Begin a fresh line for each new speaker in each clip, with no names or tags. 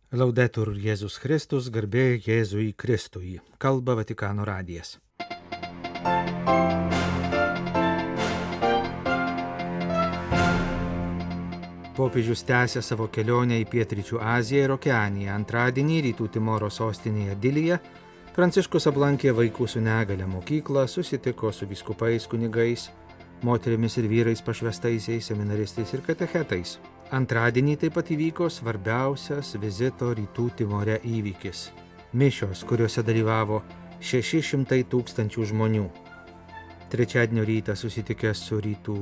Laudetur Jėzus Kristus, garbė Jėzui Kristui. Kalba Vatikano radijas. Popiežius tęsia savo kelionę į Pietryčių Aziją ir Okeaniją. Antradienį Rytų Timoro sostinėje Dilyje Pranciškus aplankė vaikų su negale mokyklą, susitiko su vyskupais, kunigais, moterimis ir vyrais pašvestaisiais, seminaristais ir katechetais. Antradienį taip pat įvyko svarbiausias vizito Rytų Timore įvykis – mišios, kuriuose dalyvavo 600 000 žmonių. Trečiadienio rytą susitikęs su Rytų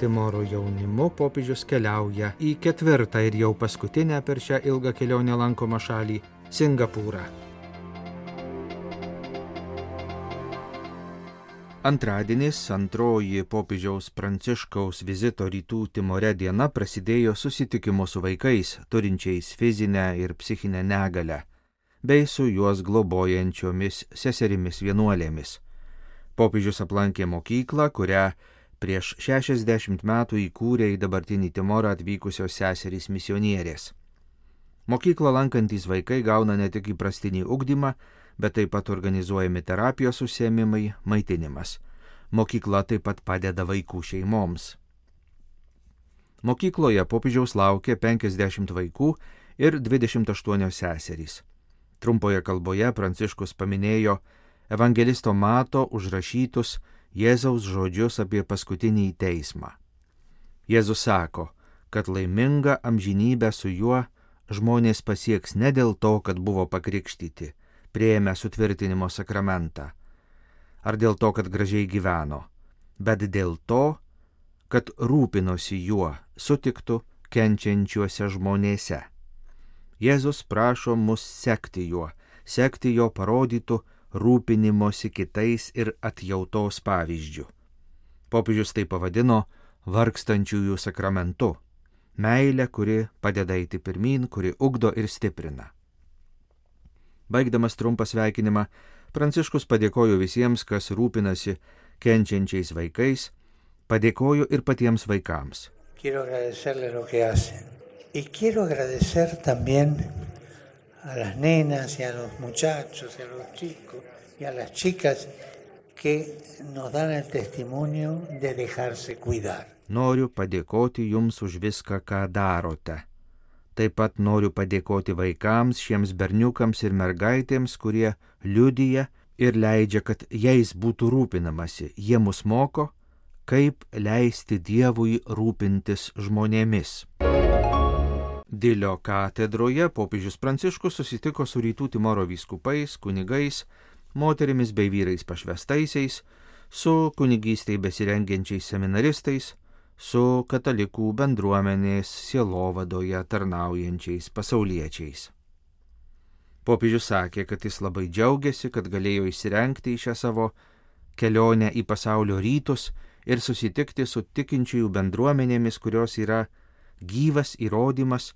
Timoro jaunimu, popiežius keliauja į ketvirtą ir jau paskutinę per šią ilgą kelionę lankomą šalį – Singapūrą. Antradienis, antroji popiežiaus Pranciškaus vizito Rytų Timore diena prasidėjo susitikimu su vaikais, turinčiais fizinę ir psichinę negalę, bei su juos globojančiomis seserimis vienuolėmis. Popiežius aplankė mokyklą, kurią prieš 60 metų įkūrė į dabartinį Timorą atvykusios seserys misionierės. Mokyklą lankantys vaikai gauna ne tik įprastinį ugdymą, bet taip pat organizuojami terapijos užsiėmimai, maitinimas. Mokykla taip pat padeda vaikų šeimoms. Mokykloje popiežiaus laukia 50 vaikų ir 28 seserys. Trumpoje kalboje Pranciškus paminėjo evangelisto Mato užrašytus Jėzaus žodžius apie paskutinį teismą. Jėzus sako, kad laimingą amžinybę su juo žmonės pasieks ne dėl to, kad buvo pakrikštyti, priėmę sutvirtinimo sakramentą, ar dėl to, kad gražiai gyveno, bet dėl to, kad rūpinosi juo sutiktų kenčiančiuose žmonėse. Jėzus prašo mus sekti juo, sekti jo parodytų rūpinimosi kitais ir atjautos pavyzdžių. Popiežius tai pavadino vargstančiųjų sakramentu, meilė, kuri padeda eiti pirmyn, kuri ugdo ir stiprina. Baigdamas trumpą sveikinimą, Pranciškus padėkojo visiems, kas rūpinasi kenčiančiais vaikais, padėkojo ir patiems vaikams.
Quiero agradecerle lo que hacen. Y quiero agradecer también a las nenas y a los muchachos y a los chicos y a las chicas que nos dan el testimonio de dejarse cuidar.
Noriu padėkoti jums už viską, ką darote. Taip pat noriu padėkoti vaikams, šiems berniukams ir mergaitėms, kurie liudija ir leidžia, kad jais būtų rūpinamasi. Jie mus moko, kaip leisti Dievui rūpintis žmonėmis. Dilio katedroje popiežius Pranciškus susitiko su Rytų Timoro vyskupais, kunigais, moterimis bei vyrais pašvestaisiais, su kunigystei besirengiančiais seminaristais, su katalikų bendruomenės sielovadoje tarnaujančiais pasauliečiais. Popiežius sakė, kad jis labai džiaugiasi, kad galėjo įsirengti į šią savo kelionę į pasaulio rytus ir susitikti su tikinčiųjų bendruomenėmis, kurios yra gyvas įrodymas,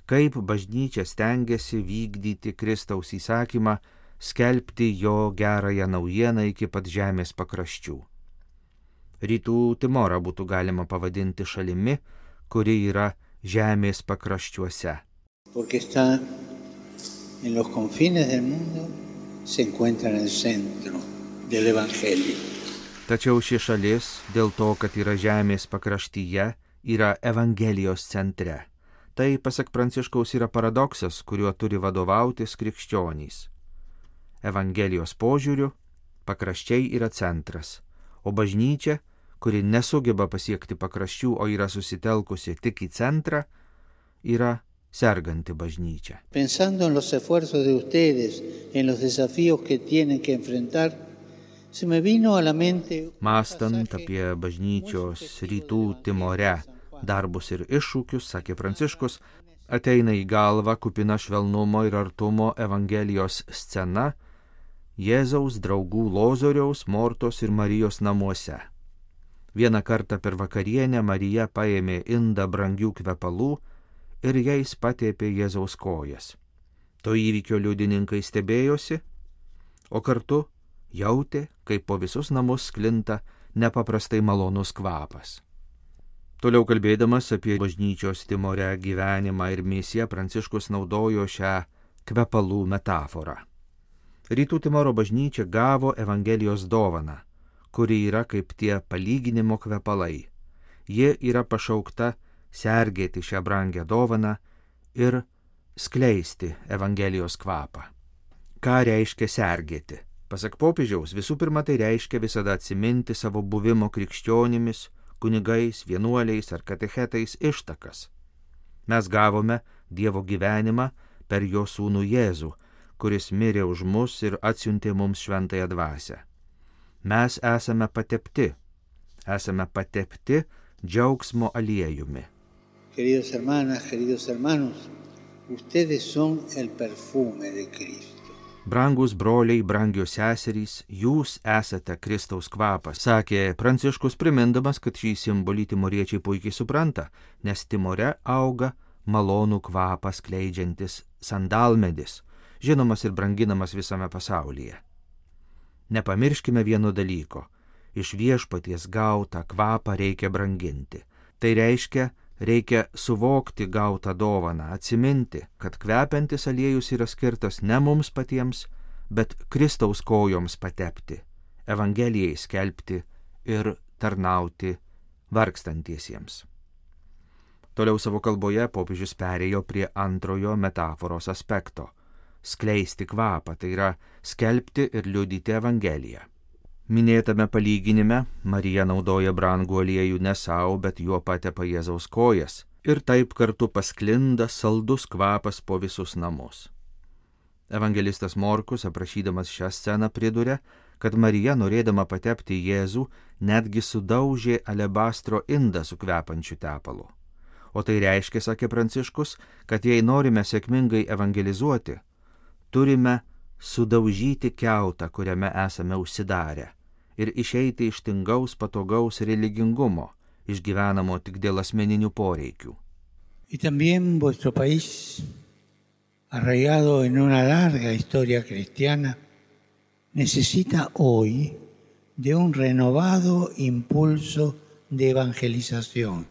kaip bažnyčia stengiasi vykdyti Kristaus įsakymą, skelbti jo gerąją naujieną iki pat žemės pakraščių. Rytų Timorą būtų galima pavadinti šalimi, kuri yra žemės pakraščiuose.
Porque está en los confines del mundo, se encuentra en el centro del Evangelio.
Tačiau ši šalis, dėl to, kad yra žemės pakraštyje, yra Evangelijos centre. Tai, pasak Pranciškaus, yra paradoksas, kuriuo turi vadovautis krikščionys. Evangelijos požiūriu pakraščiai yra centras, o bažnyčia, kuri nesugeba pasiekti pakraščių, o yra susitelkusi tik į centrą, yra serganti bažnyčia.
Pensando en los esfuerzos de ustedes, en los desafíos que tienen que enfrentar, se me vino a la mente...
Mąstant apie bažnyčios Rytų Timore darbus ir iššūkius, sakė Pranciškus, ateina į galvą kupina švelnumo ir artumo Evangelijos scena Jėzaus draugų Lozoriaus, Mortos ir Marijos namuose. Vieną kartą per vakarienę Marija paėmė indą brangių kvepalų ir jais patėpė Jėzaus kojas. To įvykio liudininkai stebėjosi, o kartu jautė, kaip po visus namus sklinta nepaprastai malonus kvapas. Toliau kalbėdamas apie bažnyčios Timore gyvenimą ir misiją, Pranciškus naudojo šią kvepalų metaforą. Rytų Timoro bažnyčia gavo Evangelijos dovaną, kuri yra kaip tie palyginimo kvepalai. Ji yra pašaukta sergėti šią brangią dovaną ir skleisti Evangelijos kvapą. Ką reiškia sergėti? Pasak popiežiaus, visų pirma tai reiškia visada atsiminti savo buvimo krikščionimis, kunigais, vienuoliais ar katechetais ištakas. Mes gavome Dievo gyvenimą per jo sūnų Jėzų, kuris mirė už mus ir atsiuntė mums šventąją dvasią. Mes esame patepti džiaugsmo aliejumi.
Queridos hermanas, queridos hermanos, ustedes son el perfume de Cristo.
Brangus broliai, brangios seserys, jūs esate Kristaus kvapas, sakė Pranciškus, primindamas, kad šį simbolį timoriečiai puikiai supranta, nes Timore auga malonų kvapą skleidžiantis sandalmedis, žinomas ir branginamas visame pasaulyje. Nepamirškime vieno dalyko, iš Viešpaties gautą kvapą reikia branginti. Tai reiškia suvokti gautą dovaną, atsiminti, kad kvepiantis aliejus yra skirtas ne mums patiems, bet Kristaus kojoms patepti, Evangelijai skelbti ir tarnauti vargstantiesiems. Toliau savo kalboje popiežius perėjo prie antrojo metaforos aspekto – skleisti kvapą, tai yra skelbti ir liudyti Evangeliją. Minėtame palyginime Marija naudoja brangų aliejų ne savo, bet juo patepa Jėzaus kojas ir taip kartu pasklinda saldus kvapas po visus namus. Evangelistas Morkus, aprašydamas šią sceną, priduria, kad Marija, norėdama patepti Jėzų, netgi sudaužė alebastro indą su kvepančiu tepalu. O tai reiškia, sakė Pranciškus, kad jei norime sėkmingai evangelizuoti, turime sudaužyti kiautą, kuriame esame užsidarę, ir išeiti iš tingaus patogaus religingumo, išgyvenamo tik dėl asmeninių poreikių.
Y también vuestro país, arraigado en una larga historia cristiana, necesita hoy de un renovado impulso de evangelización.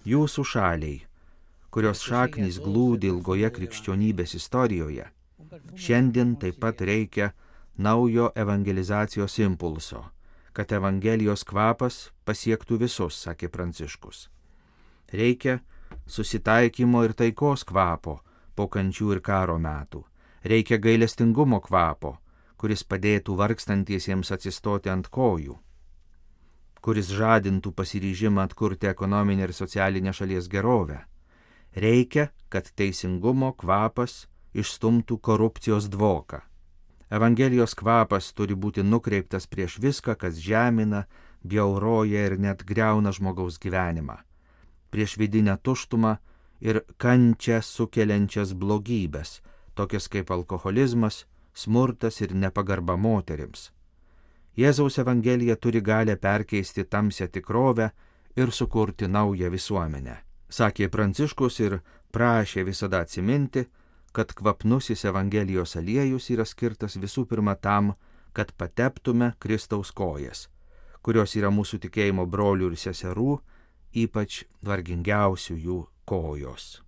Jūsų šaliai, kurios šaknys glūdi ilgoje krikščionybės istorijoje, šiandien taip pat reikia naujo evangelizacijos impulso, kad Evangelijos kvapas pasiektų visus, sakė Pranciškus. Reikia susitaikymo ir taikos kvapo po kančių ir karo metų. Reikia gailestingumo kvapo, kuris padėtų vargstantiesiems atsistoti ant kojų, kuris žadintų pasiryžimą atkurti ekonominę ir socialinę šalies gerovę. Reikia, kad teisingumo kvapas išstumtų korupcijos dvoką. Evangelijos kvapas turi būti nukreiptas prieš viską, kas žemina, bjauroja ir net griauna žmogaus gyvenimą, prieš vidinę tuštumą ir kančią sukeliančias blogybės, tokias kaip alkoholizmas, smurtas ir nepagarba moterims. Jėzaus Evangelija turi galę perkeisti tamsią tikrovę ir sukurti naują visuomenę, sakė Pranciškus ir prašė visada atsiminti, kad kvapnusis Evangelijos aliejus yra skirtas visų pirma tam, kad pateptume Kristaus kojas, kurios yra mūsų tikėjimo brolių ir seserų, ypač vargingiausių jų kojos.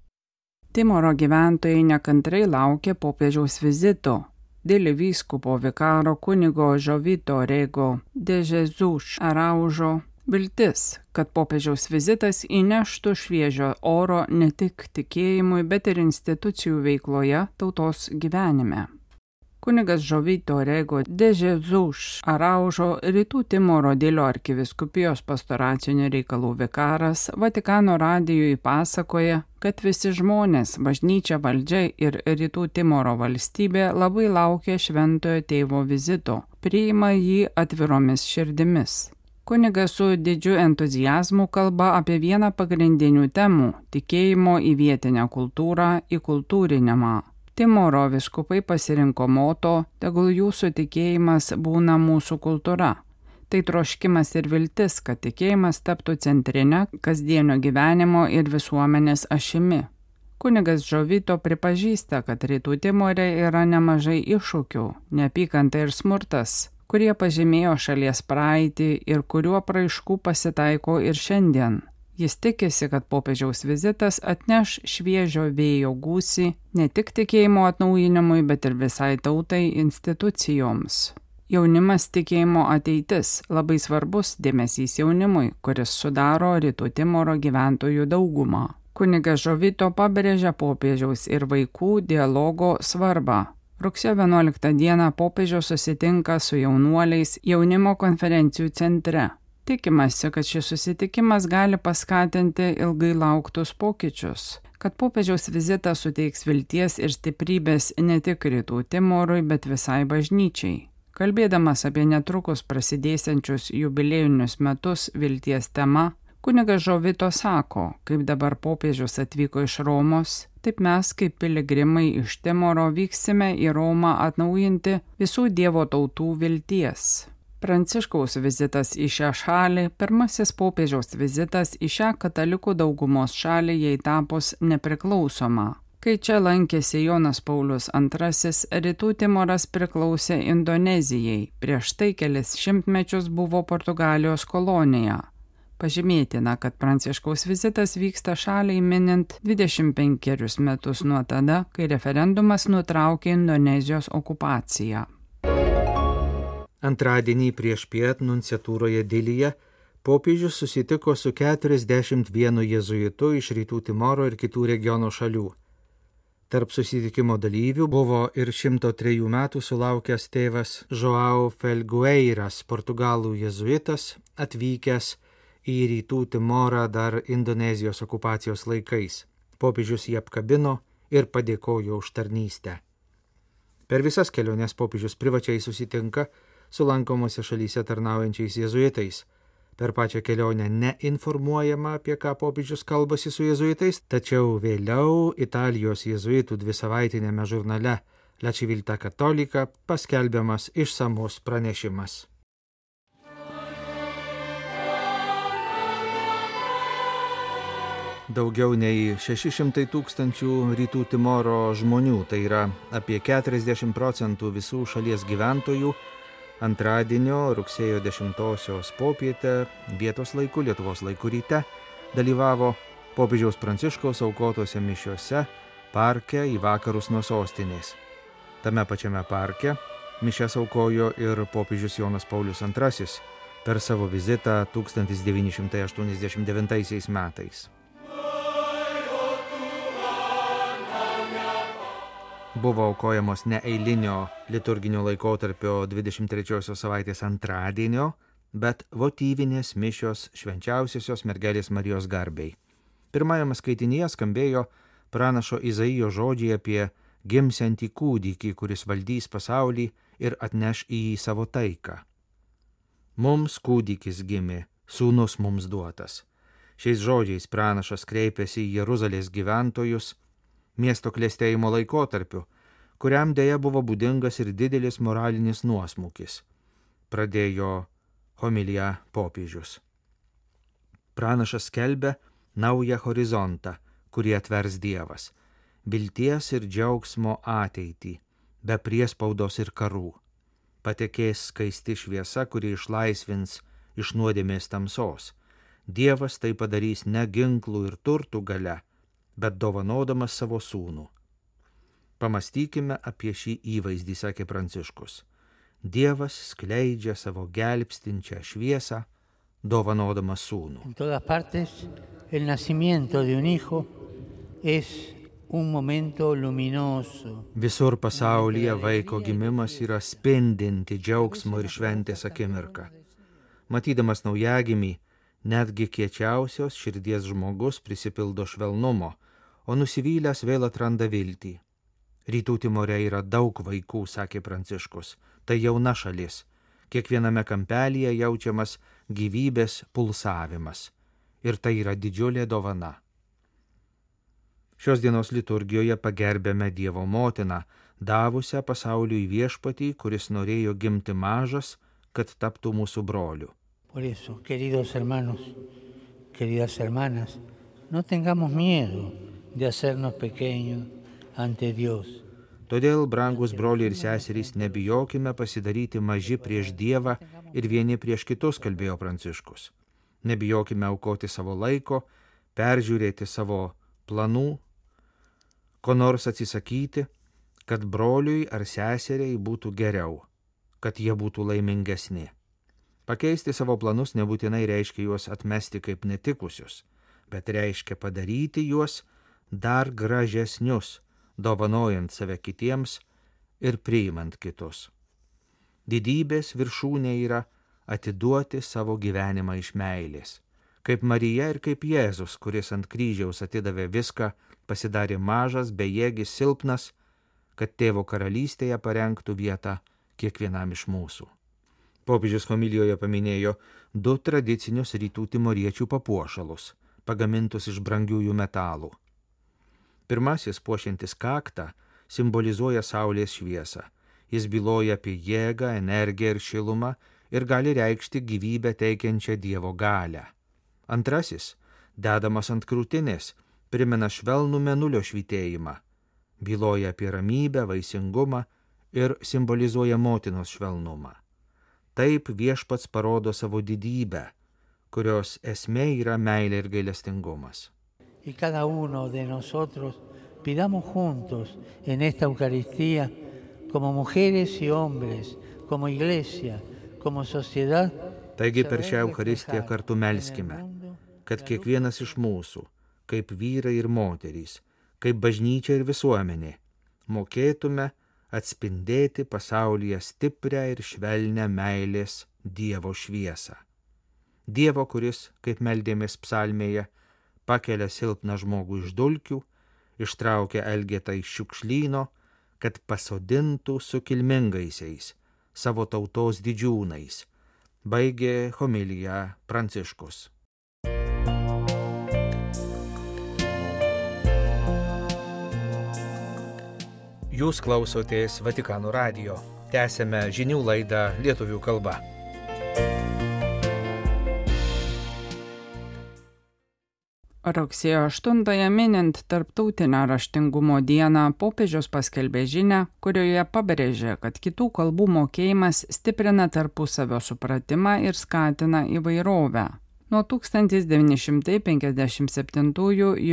Timoro gyventojai nekantrai laukė popiežiaus vizito. Dėl vyskupo vikaro kunigo Jovito Rego de Jesus Araujo viltis, kad popiežiaus vizitas įneštų šviežio oro ne tik tikėjimui, bet ir institucijų veikloje tautos gyvenime. Kunigas Jovito Rego de Jesus Araujo, Rytų Timoro Dilio arkivyskupijos pastoracinių reikalų vikaras, Vatikano radijui pasakoja, kad visi žmonės, bažnyčia, valdžia ir Rytų Timoro valstybė labai laukia šventojo tėvo vizito, priima jį atviromis širdimis. Kunigas su didžiu entuziazmu kalba apie vieną pagrindinių temų – tikėjimo į vietinę kultūrą, į kultūrinimą. Timoro vyskupai pasirinko moto „Tegul jūsų tikėjimas būna mūsų kultūra". Tai troškimas ir viltis, kad tikėjimas taptų centrinę kasdienio gyvenimo ir visuomenės ašimi. Kunigas Jovito pripažįsta, kad Rytų Timore yra nemažai iššūkių, neapykanta ir smurtas, kurie pažymėjo šalies praeitį ir kuriuo apraiškų pasitaiko ir šiandien. Jis tikisi, kad popiežiaus vizitas atneš šviežio vėjo gūsį ne tik tikėjimo atnaujinimui, bet ir visai tautai institucijoms. Jaunimas tikėjimo ateitis – labai svarbus dėmesys jaunimui, kuris sudaro Rytų Timoro gyventojų daugumą. Kunigas Žovito pabrėžia popiežiaus ir vaikų dialogo svarbą. Rugsėjo 11 dieną popiežius susitinka su jaunuoliais jaunimo konferencijų centre. Tikimasi, kad šis susitikimas gali paskatinti ilgai lauktus pokyčius, kad popiežiaus vizitas suteiks vilties ir stiprybės ne tik Rytų Timorui, bet visai bažnyčiai. Kalbėdamas apie netrukus prasidėsiančius jubiliejinius metus vilties tema, kunigas Žovito sako, kaip dabar popiežius atvyko iš Romos, taip mes kaip piligrimai iš Timoro vyksime į Romą atnaujinti visų Dievo tautų vilties. Pranciškaus vizitas į šią šalį – pirmasis popiežiaus vizitas į šią katalikų daugumos šalį jai tapus nepriklausoma. Kai čia lankėsi Jonas Paulius II, Rytų Timoras priklausė Indonezijai, prieš tai kelis šimtmečius buvo Portugalijos kolonija. Pažymėtina, kad Pranciškaus vizitas vyksta šaliai minint 25 metus nuo tada, kai referendumas nutraukė Indonezijos okupaciją.
Antradienį priešpiet nunciatūroje Dilyje popiežius susitiko su 41 jėzuitu iš Rytų Timoro ir kitų regiono šalių. Tarp susitikimo dalyvių buvo ir 103 metų sulaukęs tėvas João Felgueiras, portugalų jėzuitas, atvykęs į Rytų Timorą dar Indonezijos okupacijos laikais. Popiežius jį apkabino ir padėkojo už tarnystę. Per visas keliones popiežius privačiai susitinka su lankomose šalyse tarnaujančiais jėzuitais. Per pačią kelionę neinformuojama, apie ką popiežius kalbasi su jėzuitais, tačiau vėliau Italijos jėzuitų 2-savaitinėme žurnale La Civiltà Cattolica paskelbiamas išsamus pranešimas. Daugiau nei 600 000 Rytų Timoro žmonių, tai yra apie 40% visų šalies gyventojų, antradienio rugsėjo 10 popietę vietos laiku, Lietuvos laiku ryte, dalyvavo popiežiaus Pranciškaus aukotose mišiose parke į vakarus nuo sostinės. Tame pačiame parke mišias aukojo ir popiežius Jonas Paulius II per savo vizitą 1989 metais. Buvo aukojamos ne eilinio liturginio laikotarpio 23 savaitės antradienio, bet votyvinės mišios švenčiausiosios mergelės Marijos garbei. Pirmajame skaitinyje skambėjo pranašo Izaijo žodžiai apie gimsiantį kūdikį, kuris valdys pasaulį ir atneš į jį savo taiką. Mums kūdikis gimė, sūnus mums duotas. Šiais žodžiais pranašas kreipėsi į Jeruzalės gyventojus miesto klestėjimo laikotarpiu, kuriam dėja buvo būdingas ir didelis moralinis nuosmukis. Pradėjo homiliją popiežius. Pranašas skelbia naują horizontą, kurį atvers Dievas, vilties ir džiaugsmo ateitį, be priespaudos ir karų. Patekės skaisti šviesa, kuri išlaisvins iš nuodėmės tamsos. Dievas tai padarys ne ginklų ir turtų galia, bet dovanodamas savo sūnų. Pamastykime apie šį įvaizdį, sakė Pranciškus. Dievas skleidžia savo gelbstinčią šviesą, dovanodamas sūnų.
En todas partes, el nacimiento de un hijo es un momento luminoso.
Visur pasaulyje vaiko gimimas yra spindinti džiaugsmo ir šventės akimirka. Matydamas naujagimį, netgi kiečiausios širdies žmogus prisipildo švelnumo, o nusivylęs vėl atranda viltį. Rytų Timore yra daug vaikų, sakė Pranciškus. Tai jauna šalis. Kiekviename kampelyje jaučiamas gyvybės pulsavimas. Ir tai yra didžiulė dovana. Šios dienos liturgijoje pagerbėme Dievo motiną, davusią pasauliui viešpatį, kuris norėjo gimti mažas, kad taptų mūsų broliu.
Por eso, queridos hermanos, queridas hermanas, no tengamos miedo de hacernos pequeños ante Dios.
Todėl, brangus broliai ir seserys, nebijokime pasidaryti maži prieš Dievą ir vieni prieš kitus, kalbėjo Pranciškus. Nebijokime aukoti savo laiko, peržiūrėti savo planų, ko nors atsisakyti, kad broliui ar seseriai būtų geriau, kad jie būtų laimingesni. Pakeisti savo planus nebūtinai reiškia juos atmesti kaip netikusius, bet reiškia padaryti juos dar gražesnius, dovanojant save kitiems ir priimant kitus. Didybės viršūnė yra atiduoti savo gyvenimą iš meilės, kaip Marija ir kaip Jėzus, kuris ant kryžiaus atidavė viską, pasidarė mažas, bejėgis, silpnas, kad Tėvo karalystėje parengtų vietą kiekvienam iš mūsų. Popiežius homilijoje paminėjo 2 tradicinius rytų timoriečių papuošalus, pagamintus iš brangiųjų metalų. Pirmasis, puošiantis kaktą, simbolizuoja saulės šviesą. Jis byloja apie jėgą, energiją ir šilumą ir gali reikšti gyvybę teikiančią Dievo galią. Antrasis, dedamas ant krūtinės, primena švelnų mėnulio švytėjimą, byloja apie ramybę, vaisingumą ir simbolizuoja motinos švelnumą. Taip Viešpats parodo savo didybę, kurios esmė yra meilė ir gailestingumas.
Y cada uno de nosotros pidamos juntos en esta Eucaristía, como mujeres y hombres, como iglesia, como sociedad.
Taigi per šią Eucharistiją kartu melskime, kad kiekvienas iš mūsų, kaip vyrai ir moterys, kaip bažnyčia ir visuomenė, mokėtume atspindėti pasaulyje stiprią ir švelnią meilės Dievo šviesą. Dievo, kuris, kaip meldėmės psalmėje, pakelia silpną žmogų iš dulkių, ištraukia elgetą iš šiukšlyno, kad pasodintų su kilmingaisiais, savo tautos didžiūnais, baigė homiliją Pranciškus. Jūs klausotės Vatikano radijo. Tęsėme žinių laidą lietuvių kalba.
Rugsėjo 8-ąją minint Tarptautinę raštingumo dieną, popiežius paskelbė žinią, kurioje pabrėžė, kad kitų kalbų mokėjimas stiprina tarpusavio supratimą ir skatina įvairovę. Nuo 1957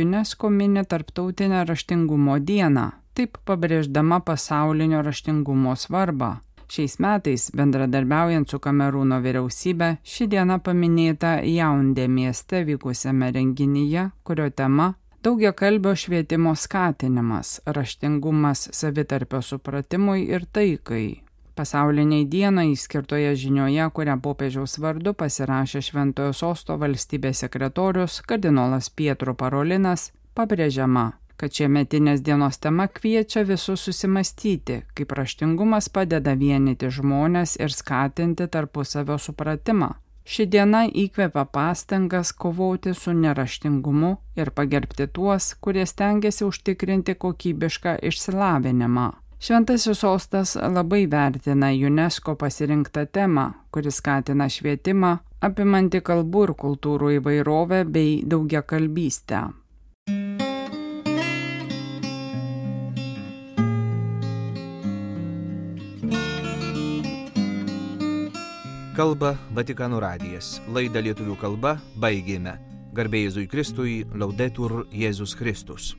UNESCO mini Tarptautinę raštingumo dieną, taip pabrėždama pasaulinio raštingumo svarbą. Šiais metais, bendradarbiaujant su Kamerūno vyriausybe, ši diena paminėta Jaundė mieste vykusiame renginyje, kurio tema – daugiakalbio švietimo skatinimas, raštingumas savitarpio supratimui ir taikai. Pasauliniai dienai skirtoje žinioje, kurią popiežiaus vardu pasirašė Šventojo Sosto valstybės sekretorius kardinolas Pietro Parolinas, pabrėžiama, kad šiemetinės dienos tema kviečia visus susimastyti, kaip raštingumas padeda vienyti žmones ir skatinti tarpusavio supratimą. Ši diena įkvepia pastangas kovoti su neraštingumu ir pagerbti tuos, kurie stengiasi užtikrinti kokybišką išsilavinimą. Šventasis Sostas labai vertina UNESCO pasirinktą temą, kuris skatina švietimą, apimantį kalbų ir kultūrų įvairovę bei daugiakalbystę.
Kalba Vatikano radijas. Laidą lietuvių kalba baigėme. Garbė Jėzui Kristui, Laudetur Jėzus Kristus.